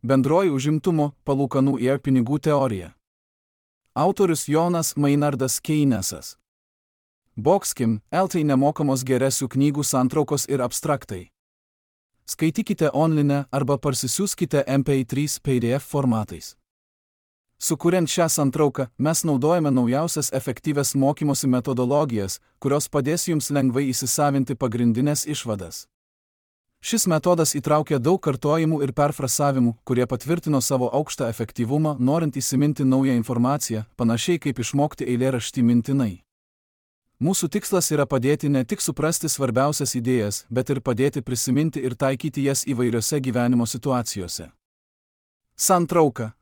Bendroji užimtumo, palūkanų ir pinigų teorija. Autorius Jonas Maynardas Keynesas. Boxkim, LT nemokamos geresių knygų santraukos ir abstraktai. Skaitykite online arba parsisiųskite MP3 PDF formatais. Sukuriant šią santrauką, mes naudojame naujausias efektyvias mokymosi metodologijas, kurios padės jums lengvai įsisavinti pagrindinės išvadas. Šis metodas įtraukia daug kartojimų ir perfrasavimų, kurie patvirtino savo aukštą efektyvumą, norint įsiminti naują informaciją, panašiai kaip išmokti eilėraštį mintinai. Mūsų tikslas yra padėti ne tik suprasti svarbiausias idėjas, bet ir padėti prisiminti ir taikyti jas įvairiose gyvenimo situacijose. Santrauka.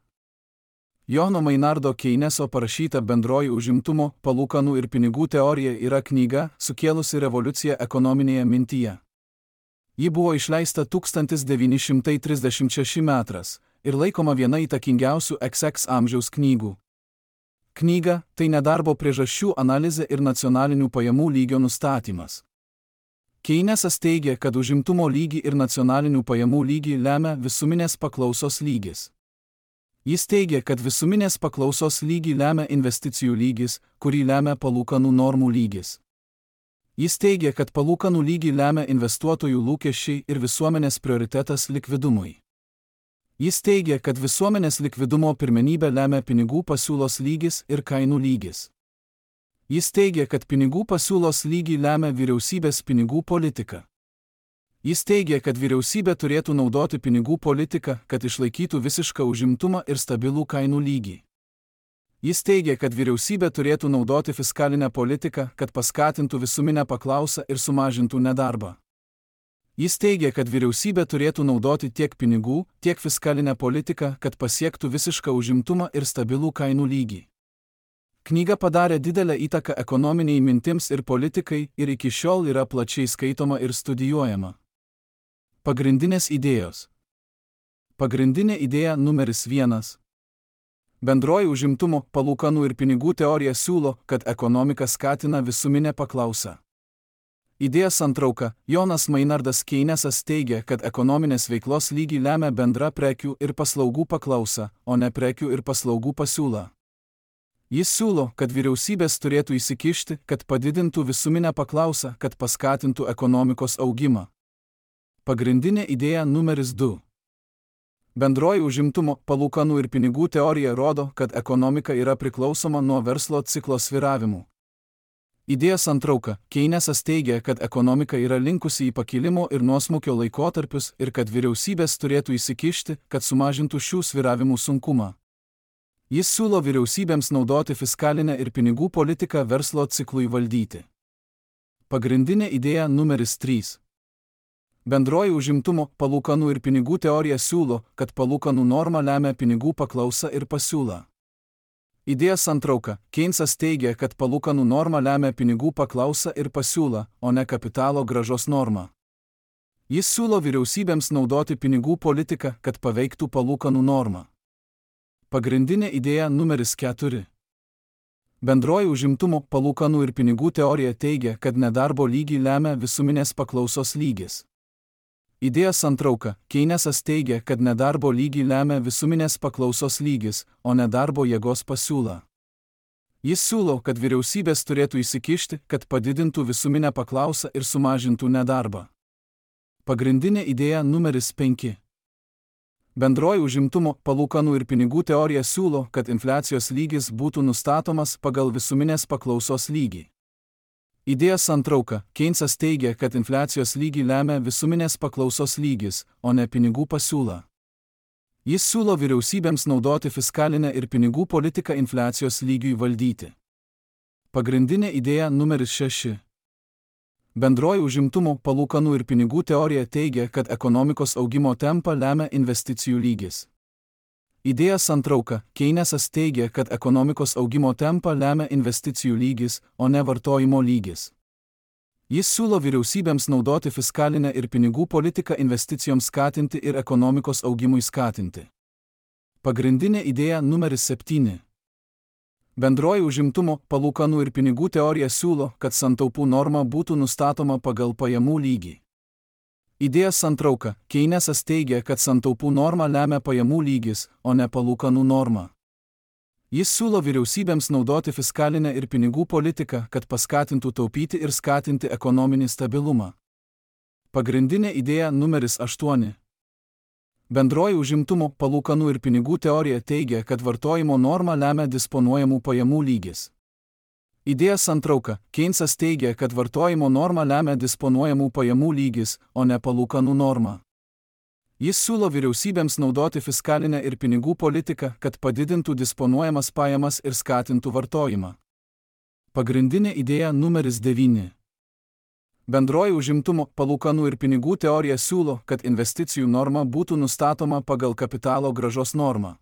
Jono Maynardo Keyneso parašyta Bendroji užimtumo, palūkanų ir pinigų teorija yra knyga, sukėlusi revoliuciją ekonominėje mintyje. Ji buvo išleista 1936 metais ir laikoma viena įtakingiausių XX amžiaus knygų. Knyga – tai nedarbo priežasčių analizė ir nacionalinių pajamų lygio nustatymas. Keynesas teigia, kad užimtumo lygį ir nacionalinių pajamų lygį lemia visuminės paklausos lygis. Jis teigia, kad visuminės paklausos lygį lemia investicijų lygis, kurį lemia palūkanų normų lygis. Jis teigia, kad palūkanų lygį lemia investuotojų lūkesčiai ir visuomenės prioritetas likvidumui. Jis teigia, kad visuomenės likvidumo pirmenybę lemia pinigų pasiūlos lygis ir kainų lygis. Jis teigia, kad pinigų pasiūlos lygį lemia vyriausybės pinigų politika. Jis teigia, kad vyriausybė turėtų naudoti pinigų politiką, kad išlaikytų visišką užimtumą ir stabilų kainų lygį. Jis teigia, kad vyriausybė turėtų naudoti fiskalinę politiką, kad paskatintų visuminę paklausą ir sumažintų nedarbą. Jis teigia, kad vyriausybė turėtų naudoti tiek pinigų, tiek fiskalinę politiką, kad pasiektų visišką užimtumą ir stabilų kainų lygį. Knyga padarė didelę įtaką ekonominiai mintims ir politikai ir iki šiol yra plačiai skaitoma ir studijuojama. Pagrindinės idėjos. Pagrindinė idėja numeris 1. Bendroji užimtumo, palūkanų ir pinigų teorija siūlo, kad ekonomika skatina visuminę paklausą. Idėja santrauka. Jonas Maynardas Keynesas teigia, kad ekonominės veiklos lygį lemia bendra prekių ir paslaugų paklausa, o ne prekių ir paslaugų pasiūla. Jis siūlo, kad vyriausybės turėtų įsikišti, kad padidintų visuminę paklausą, kad paskatintų ekonomikos augimą. Pagrindinė idėja numeris 2. Bendroji užimtumo, palūkanų ir pinigų teorija rodo, kad ekonomika yra priklausoma nuo verslo ciklo svyravimų. Idėja santrauka. Keynesas teigia, kad ekonomika yra linkusi į pakilimo ir nuosmukio laikotarpius ir kad vyriausybės turėtų įsikišti, kad sumažintų šių svyravimų sunkumą. Jis siūlo vyriausybėms naudoti fiskalinę ir pinigų politiką verslo ciklui valdyti. Pagrindinė idėja numeris 3. Bendroji užimtumo, palūkanų ir pinigų teorija siūlo, kad palūkanų norma lemia pinigų paklausą ir pasiūlą. Idėja santrauka. Keynesas teigia, kad palūkanų norma lemia pinigų paklausą ir pasiūlą, o ne kapitalo grąžos normą. Jis siūlo vyriausybėms naudoti pinigų politiką, kad paveiktų palūkanų normą. Pagrindinė idėja numeris 4. Bendroji užimtumo, palūkanų ir pinigų teorija teigia, kad nedarbo lygį lemia visuminės paklausos lygis. Idėja santrauka. Keynesas teigia, kad nedarbo lygį lemia visuminės paklausos lygis, o ne darbo jėgos pasiūla. Jis siūlo, kad vyriausybės turėtų įsikišti, kad padidintų visuminę paklausą ir sumažintų nedarbą. Pagrindinė idėja numeris 5. Bendroji užimtumo, palūkanų ir pinigų teorija siūlo, kad infliacijos lygis būtų nustatomas pagal visuminės paklausos lygį. Idėja santrauka. Keynesas teigia, kad infliacijos lygį lemia visuminės paklausos lygis, o ne pinigų pasiūla. Jis siūlo vyriausybėms naudoti fiskalinę ir pinigų politiką infliacijos lygiui valdyti. Pagrindinė idėja numeris 6. Bendroji užimtumo, palūkanų ir pinigų teorija teigia, kad ekonomikos augimo tempą lemia investicijų lygis. Idėja santrauka. Keynesas teigia, kad ekonomikos augimo tempą lemia investicijų lygis, o ne vartojimo lygis. Jis siūlo vyriausybėms naudoti fiskalinę ir pinigų politiką investicijoms skatinti ir ekonomikos augimui skatinti. Pagrindinė idėja numeris 7. Bendroji užimtumo, palūkanų ir pinigų teorija siūlo, kad santaupų norma būtų nustatoma pagal pajamų lygį. Idėjos santrauka. Keynesas teigia, kad santaupų normą lemia pajamų lygis, o ne palūkanų norma. Jis siūlo vyriausybėms naudoti fiskalinę ir pinigų politiką, kad paskatintų taupyti ir skatinti ekonominį stabilumą. Pagrindinė idėja numeris 8. Bendroji užimtumo, palūkanų ir pinigų teorija teigia, kad vartojimo normą lemia disponuojamų pajamų lygis. Idėja santrauka. Keynesas teigia, kad vartojimo normą lemia disponuojamų pajamų lygis, o ne palūkanų norma. Jis siūlo vyriausybėms naudoti fiskalinę ir pinigų politiką, kad padidintų disponuojamas pajamas ir skatintų vartojimą. Pagrindinė idėja numeris 9. Bendroji užimtumo, palūkanų ir pinigų teorija siūlo, kad investicijų norma būtų nustatoma pagal kapitalo grąžos normą.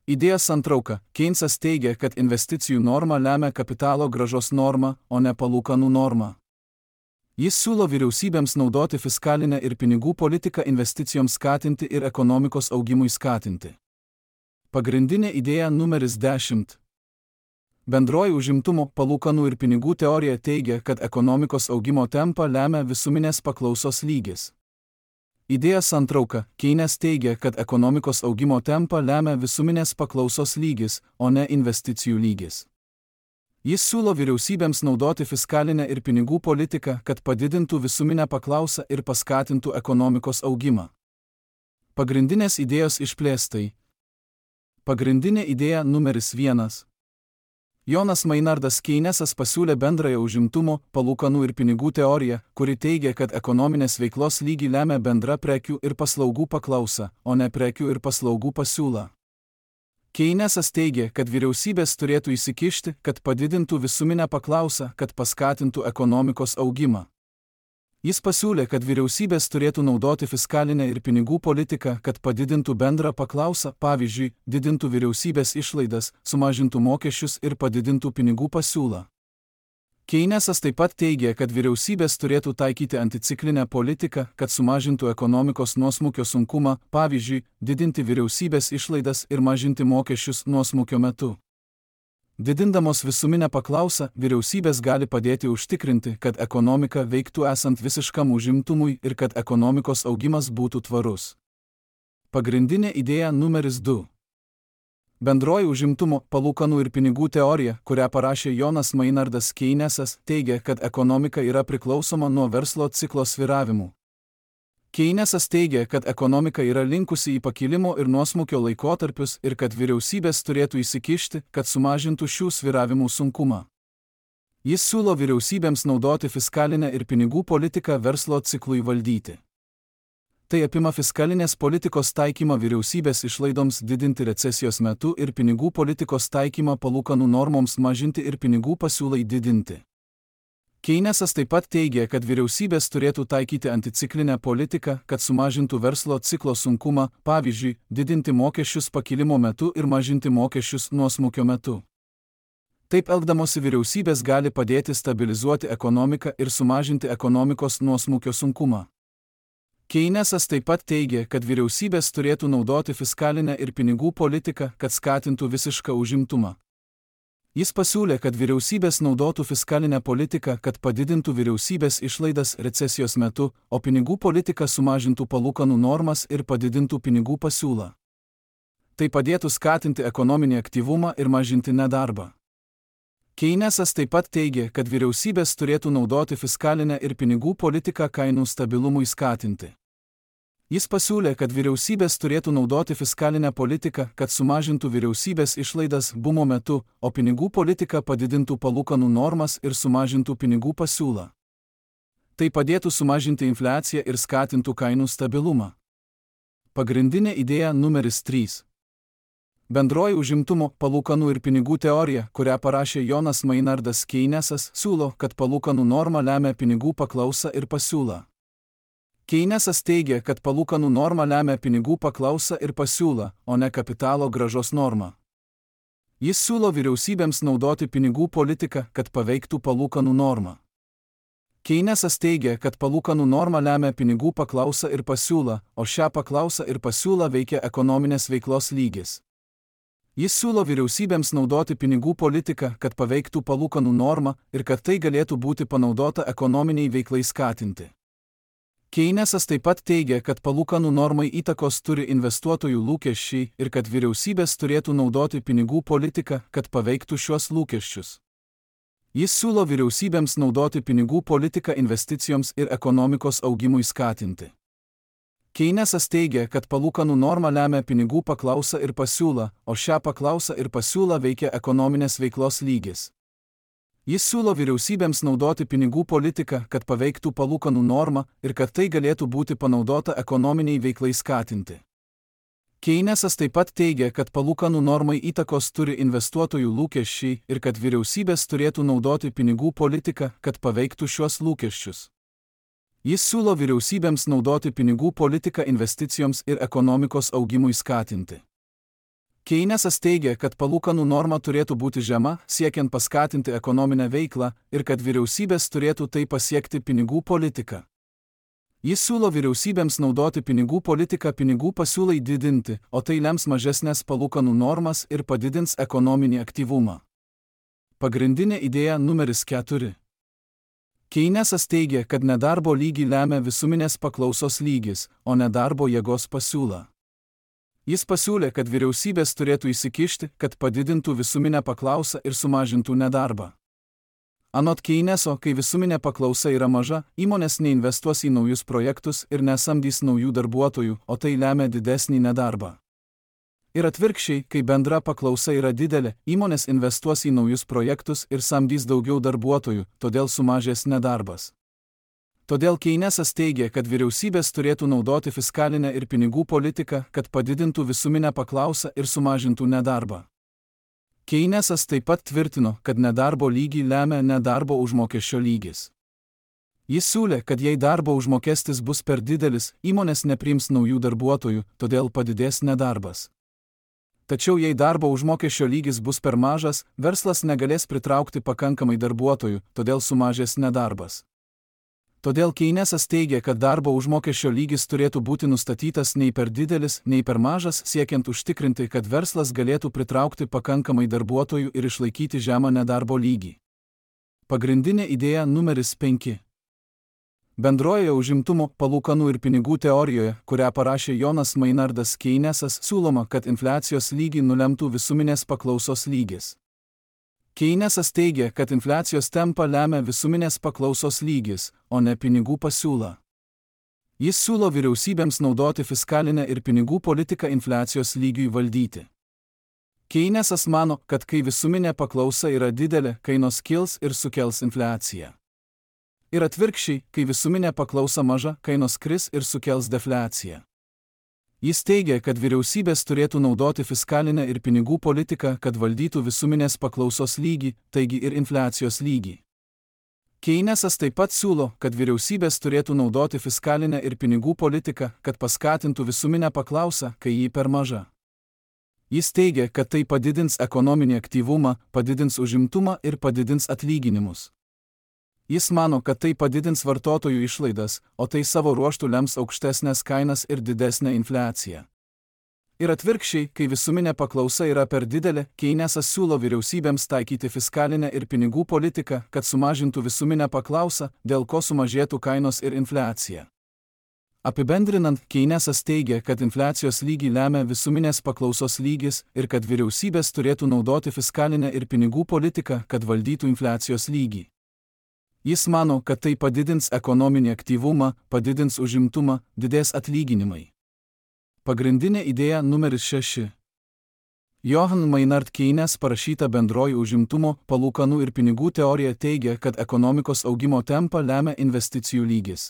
Idėja santrauka. Keynesas teigia, kad investicijų norma lemia kapitalo grąžos normą, o ne palūkanų normą. Jis siūlo vyriausybėms naudoti fiskalinę ir pinigų politiką investicijoms skatinti ir ekonomikos augimui skatinti. Pagrindinė idėja numeris 10. Bendroji užimtumo, palūkanų ir pinigų teorija teigia, kad ekonomikos augimo tempą lemia visuminės paklausos lygis. Idėja santrauka. Keynes teigia, kad ekonomikos augimo tempą lemia visuminės paklausos lygis, o ne investicijų lygis. Jis siūlo vyriausybėms naudoti fiskalinę ir pinigų politiką, kad padidintų visuminę paklausą ir paskatintų ekonomikos augimą. Pagrindinės idėjos išplėstai. Pagrindinė idėja numeris 1. Jonas Maynardas Keynesas pasiūlė bendrąją užimtumo, palūkanų ir pinigų teoriją, kuri teigia, kad ekonominės veiklos lygį lemia bendra prekių ir paslaugų paklausa, o ne prekių ir paslaugų pasiūla. Keynesas teigia, kad vyriausybės turėtų įsikišti, kad padidintų visuminę paklausą, kad paskatintų ekonomikos augimą. Jis pasiūlė, kad vyriausybės turėtų naudoti fiskalinę ir pinigų politiką, kad padidintų bendrą paklausą, pavyzdžiui, didintų vyriausybės išlaidas, sumažintų mokesčius ir padidintų pinigų pasiūlą. Keynesas taip pat teigia, kad vyriausybės turėtų taikyti anticiklinę politiką, kad sumažintų ekonomikos nuosmukio sunkumą, pavyzdžiui, didinti vyriausybės išlaidas ir mažinti mokesčius nuosmukio metu. Didindamos visuminę paklausą, vyriausybės gali padėti užtikrinti, kad ekonomika veiktų esant visiškam užimtumui ir kad ekonomikos augimas būtų tvarus. Pagrindinė idėja numeris 2. Bendroji užimtumo, palūkanų ir pinigų teorija, kurią parašė Jonas Maynardas Keynesas, teigia, kad ekonomika yra priklausoma nuo verslo ciklo svyravimų. Keynesas teigia, kad ekonomika yra linkusi į pakilimo ir nuosmukio laikotarpius ir kad vyriausybės turėtų įsikišti, kad sumažintų šių svyravimų sunkumą. Jis siūlo vyriausybėms naudoti fiskalinę ir pinigų politiką verslo ciklui valdyti. Tai apima fiskalinės politikos taikymą vyriausybės išlaidoms didinti recesijos metu ir pinigų politikos taikymą palūkanų normoms mažinti ir pinigų pasiūlai didinti. Keynesas taip pat teigia, kad vyriausybės turėtų taikyti anticiklinę politiką, kad sumažintų verslo ciklo sunkumą, pavyzdžiui, didinti mokesčius pakilimo metu ir mažinti mokesčius nuosmukio metu. Taip elgdamosi vyriausybės gali padėti stabilizuoti ekonomiką ir sumažinti ekonomikos nuosmukio sunkumą. Keynesas taip pat teigia, kad vyriausybės turėtų naudoti fiskalinę ir pinigų politiką, kad skatintų visišką užimtumą. Jis pasiūlė, kad vyriausybės naudotų fiskalinę politiką, kad padidintų vyriausybės išlaidas recesijos metu, o pinigų politika sumažintų palūkanų normas ir padidintų pinigų pasiūlą. Tai padėtų skatinti ekonominį aktyvumą ir mažinti nedarbą. Keynesas taip pat teigia, kad vyriausybės turėtų naudoti fiskalinę ir pinigų politiką kainų stabilumui skatinti. Jis pasiūlė, kad vyriausybės turėtų naudoti fiskalinę politiką, kad sumažintų vyriausybės išlaidas bumo metu, o pinigų politika padidintų palūkanų normas ir sumažintų pinigų pasiūlą. Tai padėtų sumažinti infliaciją ir skatintų kainų stabilumą. Pagrindinė idėja numeris 3. Bendroji užimtumo, palūkanų ir pinigų teorija, kurią parašė Jonas Maynardas Keynesas, siūlo, kad palūkanų norma lemia pinigų paklausą ir pasiūlą. Keynesas teigia, kad palūkanų norma lemia pinigų paklausą ir pasiūlą, o ne kapitalo grąžos normą. Jis siūlo vyriausybėms naudoti pinigų politiką, kad paveiktų palūkanų normą. Keynesas teigia, kad palūkanų norma lemia pinigų paklausą ir pasiūlą, o šią paklausą ir pasiūlą veikia ekonominės veiklos lygis. Jis siūlo vyriausybėms naudoti pinigų politiką, kad paveiktų palūkanų normą ir kad tai galėtų būti panaudota ekonominiai veiklai skatinti. Keynesas taip pat teigia, kad palūkanų normai įtakos turi investuotojų lūkesčiai ir kad vyriausybės turėtų naudoti pinigų politiką, kad paveiktų šiuos lūkesčius. Jis siūlo vyriausybėms naudoti pinigų politiką investicijoms ir ekonomikos augimui skatinti. Keynesas teigia, kad palūkanų norma lemia pinigų paklausą ir pasiūlą, o šią paklausą ir pasiūlą veikia ekonominės veiklos lygis. Jis siūlo vyriausybėms naudoti pinigų politiką, kad paveiktų palūkanų normą ir kad tai galėtų būti panaudota ekonominiai veiklai skatinti. Keynesas taip pat teigia, kad palūkanų normai įtakos turi investuotojų lūkesčiai ir kad vyriausybės turėtų naudoti pinigų politiką, kad paveiktų šiuos lūkesčius. Jis siūlo vyriausybėms naudoti pinigų politiką investicijoms ir ekonomikos augimui skatinti. Keynesas teigia, kad palūkanų norma turėtų būti žema, siekiant paskatinti ekonominę veiklą ir kad vyriausybės turėtų tai pasiekti pinigų politiką. Jis siūlo vyriausybėms naudoti pinigų politiką pinigų pasiūlai didinti, o tai lems mažesnės palūkanų normas ir padidins ekonominį aktyvumą. Pagrindinė idėja numeris 4. Keynesas teigia, kad nedarbo lygį lemia visuminės paklausos lygis, o nedarbo jėgos pasiūla. Jis pasiūlė, kad vyriausybės turėtų įsikišti, kad padidintų visuminę paklausą ir sumažintų nedarbą. Anot Keyneso, kai visuminė paklausa yra maža, įmonės neinvestuos į naujus projektus ir nesamdys naujų darbuotojų, o tai lemia didesnį nedarbą. Ir atvirkščiai, kai bendra paklausa yra didelė, įmonės investuos į naujus projektus ir samdys daugiau darbuotojų, todėl sumažės nedarbas. Todėl Keynesas teigia, kad vyriausybės turėtų naudoti fiskalinę ir pinigų politiką, kad padidintų visuminę paklausą ir sumažintų nedarbą. Keynesas taip pat tvirtino, kad nedarbo lygį lemia nedarbo užmokesčio lygis. Jis siūlė, kad jei darbo užmokestis bus per didelis, įmonės nepriims naujų darbuotojų, todėl padidės nedarbas. Tačiau jei darbo užmokesčio lygis bus per mažas, verslas negalės pritraukti pakankamai darbuotojų, todėl sumažės nedarbas. Todėl Keynesas teigia, kad darbo užmokesčio lygis turėtų būti nustatytas nei per didelis, nei per mažas, siekiant užtikrinti, kad verslas galėtų pritraukti pakankamai darbuotojų ir išlaikyti žemą nedarbo lygį. Pagrindinė idėja numeris 5. Bendrojoje užimtumo, palūkanų ir pinigų teorijoje, kurią parašė Jonas Maynardas Keynesas, siūloma, kad infliacijos lygį nulemtų visuminės paklausos lygis. Keynesas teigia, kad infliacijos tempą lemia visuminės paklausos lygis, o ne pinigų pasiūla. Jis siūlo vyriausybėms naudoti fiskalinę ir pinigų politiką infliacijos lygiui valdyti. Keynesas mano, kad kai visuminė paklausa yra didelė, kainos kils ir sukels infliaciją. Ir atvirkščiai, kai visuminė paklausa maža, kainos kris ir sukels defliaciją. Jis teigia, kad vyriausybės turėtų naudoti fiskalinę ir pinigų politiką, kad valdytų visuminės paklausos lygį, taigi ir infliacijos lygį. Keynesas taip pat siūlo, kad vyriausybės turėtų naudoti fiskalinę ir pinigų politiką, kad paskatintų visuminę paklausą, kai ji per maža. Jis teigia, kad tai padidins ekonominį aktyvumą, padidins užimtumą ir padidins atlyginimus. Jis mano, kad tai padidins vartotojų išlaidas, o tai savo ruožtu lems aukštesnės kainas ir didesnę infliaciją. Ir atvirkščiai, kai visuminė paklausa yra per didelė, Keynesas siūlo vyriausybėms taikyti fiskalinę ir pinigų politiką, kad sumažintų visuminę paklausą, dėl ko sumažėtų kainos ir infliacija. Apibendrinant, Keynesas teigia, kad infliacijos lygį lemia visuminės paklausos lygis ir kad vyriausybės turėtų naudoti fiskalinę ir pinigų politiką, kad valdytų infliacijos lygį. Jis mano, kad tai padidins ekonominį aktyvumą, padidins užimtumą, didės atlyginimai. Pagrindinė idėja numeris 6. Johann Maynard Keynes parašyta Bendroji užimtumo, palūkanų ir pinigų teorija teigia, kad ekonomikos augimo tempą lemia investicijų lygis.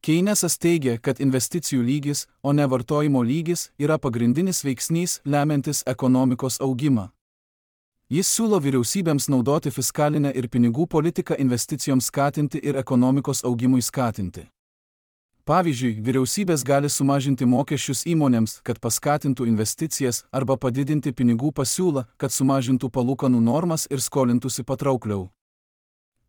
Keynesas teigia, kad investicijų lygis, o ne vartojimo lygis, yra pagrindinis veiksnys lemiantis ekonomikos augimą. Jis siūlo vyriausybėms naudoti fiskalinę ir pinigų politiką investicijoms skatinti ir ekonomikos augimui skatinti. Pavyzdžiui, vyriausybės gali sumažinti mokesčius įmonėms, kad paskatintų investicijas, arba padidinti pinigų pasiūlą, kad sumažintų palūkanų normas ir skolintųsi patraukliau.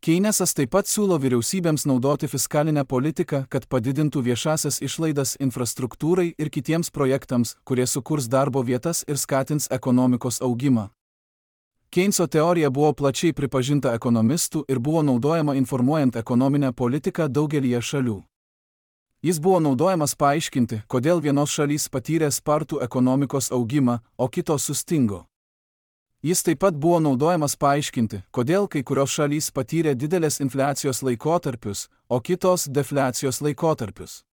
Keynesas taip pat siūlo vyriausybėms naudoti fiskalinę politiką, kad padidintų viešasias išlaidas infrastruktūrai ir kitiems projektams, kurie sukurs darbo vietas ir skatins ekonomikos augimą. Keyneso teorija buvo plačiai pripažinta ekonomistų ir buvo naudojama informuojant ekonominę politiką daugelyje šalių. Jis buvo naudojamas paaiškinti, kodėl vienos šalys patyrė spartų ekonomikos augimą, o kitos sustingo. Jis taip pat buvo naudojamas paaiškinti, kodėl kai kurios šalys patyrė didelės infliacijos laikotarpius, o kitos defliacijos laikotarpius.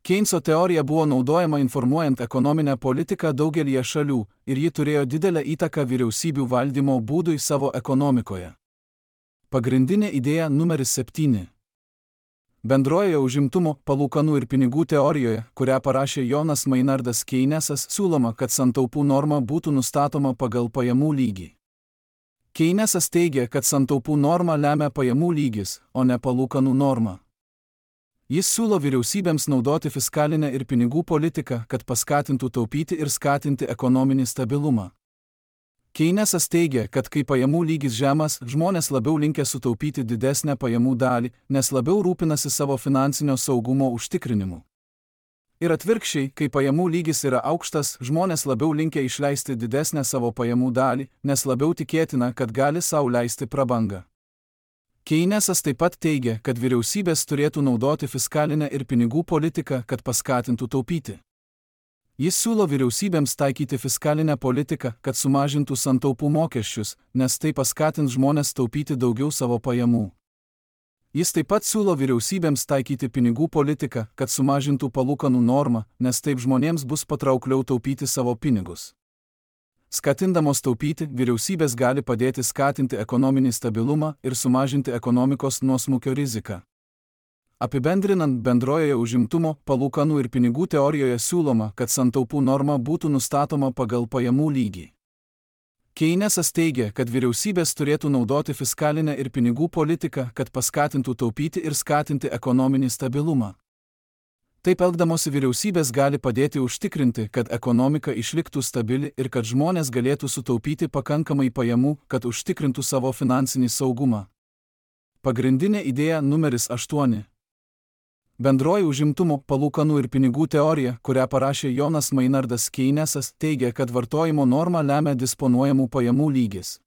Keynes'o teorija buvo naudojama informuojant ekonominę politiką daugelyje šalių ir ji turėjo didelę įtaką vyriausybių valdymo būdui savo ekonomikoje. Pagrindinė idėja numeris 7. Bendrojoje užimtumo, palūkanų ir pinigų teorijoje, kurią parašė Jonas Maynardas Keynesas, siūloma, kad santaupų norma būtų nustatoma pagal pajamų lygį. Keynesas teigia, kad santaupų normą lemia pajamų lygis, o ne palūkanų norma. Jis siūlo vyriausybėms naudoti fiskalinę ir pinigų politiką, kad paskatintų taupyti ir skatinti ekonominį stabilumą. Keynesas teigia, kad kai pajamų lygis žemas, žmonės labiau linkę sutaupyti didesnę pajamų dalį, nes labiau rūpinasi savo finansinio saugumo užtikrinimu. Ir atvirkščiai, kai pajamų lygis yra aukštas, žmonės labiau linkę išleisti didesnę savo pajamų dalį, nes labiau tikėtina, kad gali sau leisti prabangą. Keynesas taip pat teigia, kad vyriausybės turėtų naudoti fiskalinę ir pinigų politiką, kad paskatintų taupyti. Jis siūlo vyriausybėms taikyti fiskalinę politiką, kad sumažintų santaupų mokesčius, nes tai paskatins žmonės taupyti daugiau savo pajamų. Jis taip pat siūlo vyriausybėms taikyti pinigų politiką, kad sumažintų palūkanų normą, nes taip žmonėms bus patraukliau taupyti savo pinigus. Skatindamos taupyti, vyriausybės gali padėti skatinti ekonominį stabilumą ir sumažinti ekonomikos nuosmukio riziką. Apibendrinant, bendrojoje užimtumo, palūkanų ir pinigų teorijoje siūloma, kad santaupų norma būtų nustatoma pagal pajamų lygį. Keynesas teigia, kad vyriausybės turėtų naudoti fiskalinę ir pinigų politiką, kad paskatintų taupyti ir skatinti ekonominį stabilumą. Taip elgdamosi vyriausybės gali padėti užtikrinti, kad ekonomika išliktų stabili ir kad žmonės galėtų sutaupyti pakankamai pajamų, kad užtikrintų savo finansinį saugumą. Pagrindinė idėja numeris 8. Bendroji užimtumo, palūkanų ir pinigų teorija, kurią parašė Jonas Maynardas Keynesas, teigia, kad vartojimo normą lemia disponuojamų pajamų lygis.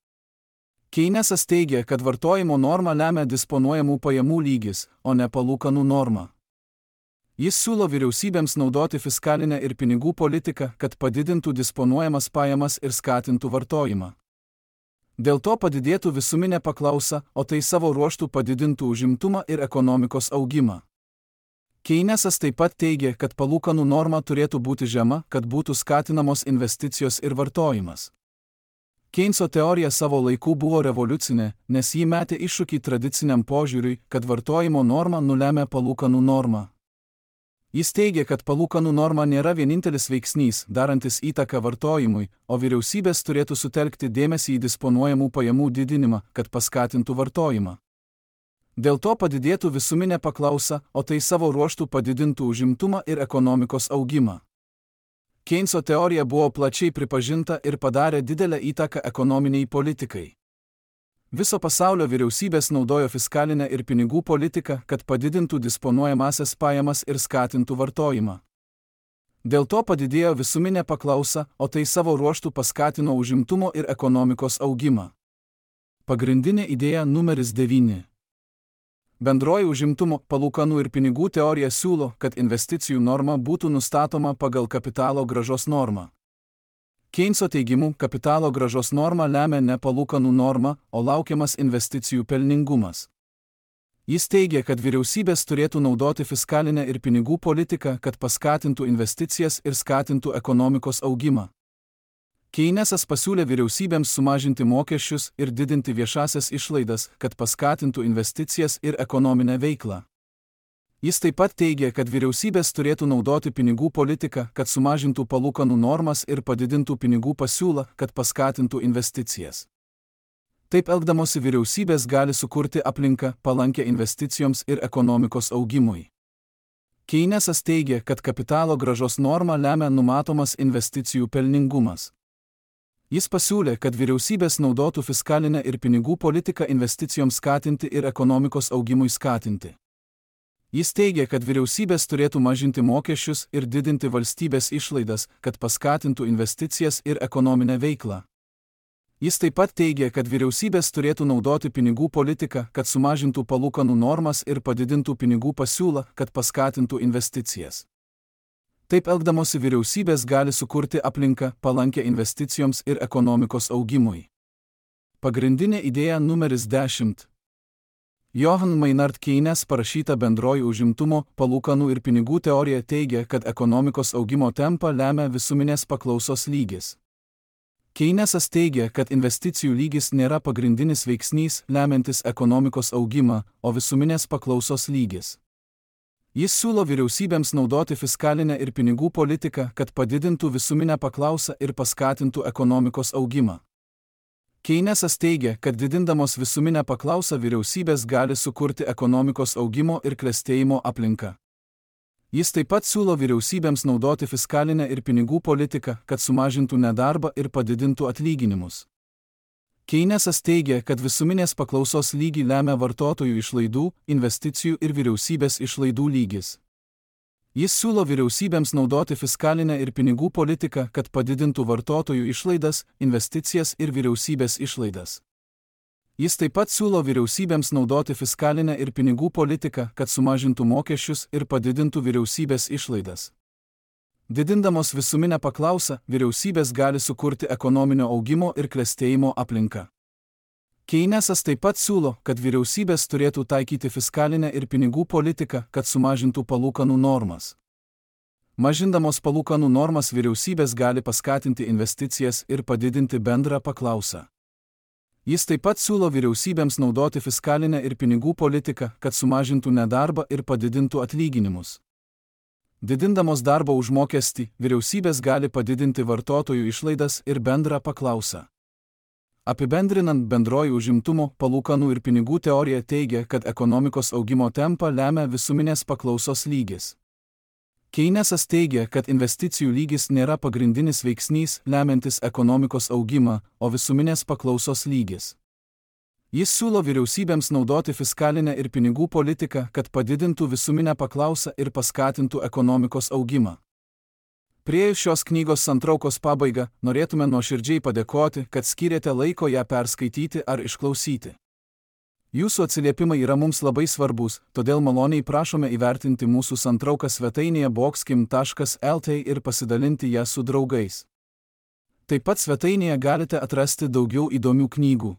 Keynesas teigia, kad vartojimo normą lemia disponuojamų pajamų lygis, o ne palūkanų norma. Jis siūlo vyriausybėms naudoti fiskalinę ir pinigų politiką, kad padidintų disponuojamas pajamas ir skatintų vartojimą. Dėl to padidėtų visuminė paklausa, o tai savo ruožtu padidintų užimtumą ir ekonomikos augimą. Keynesas taip pat teigia, kad palūkanų norma turėtų būti žema, kad būtų skatinamos investicijos ir vartojimas. Keynes'o teorija savo laikų buvo revoliucinė, nes ji metė iššūkį tradiciniam požiūriui, kad vartojimo norma nulemia palūkanų normą. Jis teigia, kad palūkanų norma nėra vienintelis veiksnys, darantis įtaką vartojimui, o vyriausybės turėtų sutelkti dėmesį į disponuojamų pajamų didinimą, kad paskatintų vartojimą. Dėl to padidėtų visuminė paklausa, o tai savo ruožtu padidintų užimtumą ir ekonomikos augimą. Keynes'o teorija buvo plačiai pripažinta ir padarė didelę įtaką ekonominiai politikai. Viso pasaulio vyriausybės naudojo fiskalinę ir pinigų politiką, kad padidintų disponuojamasias pajamas ir skatintų vartojimą. Dėl to padidėjo visuminė paklausa, o tai savo ruožtu paskatino užimtumo ir ekonomikos augimą. Pagrindinė idėja numeris 9. Bendroji užimtumo, palūkanų ir pinigų teorija siūlo, kad investicijų norma būtų nustatoma pagal kapitalo grąžos normą. Keynes'o teigimu, kapitalo grąžos norma lemia ne palūkanų normą, o laukiamas investicijų pelningumas. Jis teigia, kad vyriausybės turėtų naudoti fiskalinę ir pinigų politiką, kad paskatintų investicijas ir skatintų ekonomikos augimą. Keynesas pasiūlė vyriausybėms sumažinti mokesčius ir didinti viešasias išlaidas, kad paskatintų investicijas ir ekonominę veiklą. Jis taip pat teigia, kad vyriausybės turėtų naudoti pinigų politiką, kad sumažintų palūkanų normas ir padidintų pinigų pasiūlą, kad paskatintų investicijas. Taip elgdamosi vyriausybės gali sukurti aplinką palankę investicijoms ir ekonomikos augimui. Keynesas teigia, kad kapitalo grąžos norma lemia numatomas investicijų pelningumas. Jis pasiūlė, kad vyriausybės naudotų fiskalinę ir pinigų politiką investicijoms skatinti ir ekonomikos augimui skatinti. Jis teigia, kad vyriausybės turėtų mažinti mokesčius ir didinti valstybės išlaidas, kad paskatintų investicijas ir ekonominę veiklą. Jis taip pat teigia, kad vyriausybės turėtų naudoti pinigų politiką, kad sumažintų palūkanų normas ir padidintų pinigų pasiūlą, kad paskatintų investicijas. Taip elgdamosi vyriausybės gali sukurti aplinką palankę investicijoms ir ekonomikos augimui. Pagrindinė idėja numeris 10. Johann Maynard Keynes parašyta Bendroji užimtumo, palūkanų ir pinigų teorija teigia, kad ekonomikos augimo tempą lemia visuminės paklausos lygis. Keynesas teigia, kad investicijų lygis nėra pagrindinis veiksnys lemiantis ekonomikos augimą, o visuminės paklausos lygis. Jis siūlo vyriausybėms naudoti fiskalinę ir pinigų politiką, kad padidintų visuminę paklausą ir paskatintų ekonomikos augimą. Keynesas teigia, kad didindamos visuminę paklausą vyriausybės gali sukurti ekonomikos augimo ir klestėjimo aplinką. Jis taip pat siūlo vyriausybėms naudoti fiskalinę ir pinigų politiką, kad sumažintų nedarbą ir padidintų atlyginimus. Keynesas teigia, kad visuminės paklausos lygį lemia vartotojų išlaidų, investicijų ir vyriausybės išlaidų lygis. Jis siūlo vyriausybėms naudoti fiskalinę ir pinigų politiką, kad padidintų vartotojų išlaidas, investicijas ir vyriausybės išlaidas. Jis taip pat siūlo vyriausybėms naudoti fiskalinę ir pinigų politiką, kad sumažintų mokesčius ir padidintų vyriausybės išlaidas. Didindamos visuminę paklausą, vyriausybės gali sukurti ekonominio augimo ir klestėjimo aplinką. Keynesas taip pat siūlo, kad vyriausybės turėtų taikyti fiskalinę ir pinigų politiką, kad sumažintų palūkanų normas. Mažindamos palūkanų normas vyriausybės gali paskatinti investicijas ir padidinti bendrą paklausą. Jis taip pat siūlo vyriausybėms naudoti fiskalinę ir pinigų politiką, kad sumažintų nedarbą ir padidintų atlyginimus. Didindamos darbo užmokestį, vyriausybės gali padidinti vartotojų išlaidas ir bendrą paklausą. Apibendrinant, bendroji užimtumo, palūkanų ir pinigų teorija teigia, kad ekonomikos augimo tempą lemia visuminės paklausos lygis. Keynesas teigia, kad investicijų lygis nėra pagrindinis veiksnys lemiantis ekonomikos augimą, o visuminės paklausos lygis. Jis siūlo vyriausybėms naudoti fiskalinę ir pinigų politiką, kad padidintų visuminę paklausą ir paskatintų ekonomikos augimą. Priėjus šios knygos santraukos pabaigą, norėtume nuoširdžiai padėkoti, kad skyrėte laiko ją perskaityti ar išklausyti. Jūsų atsiliepimai yra mums labai svarbus, todėl maloniai prašome įvertinti mūsų santrauką svetainėje boxkim.lt ir pasidalinti ją su draugais. Taip pat svetainėje galite atrasti daugiau įdomių knygų.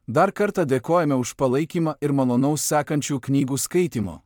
Dar kartą dėkojame už palaikymą ir malonaus sekančių knygų skaitimo.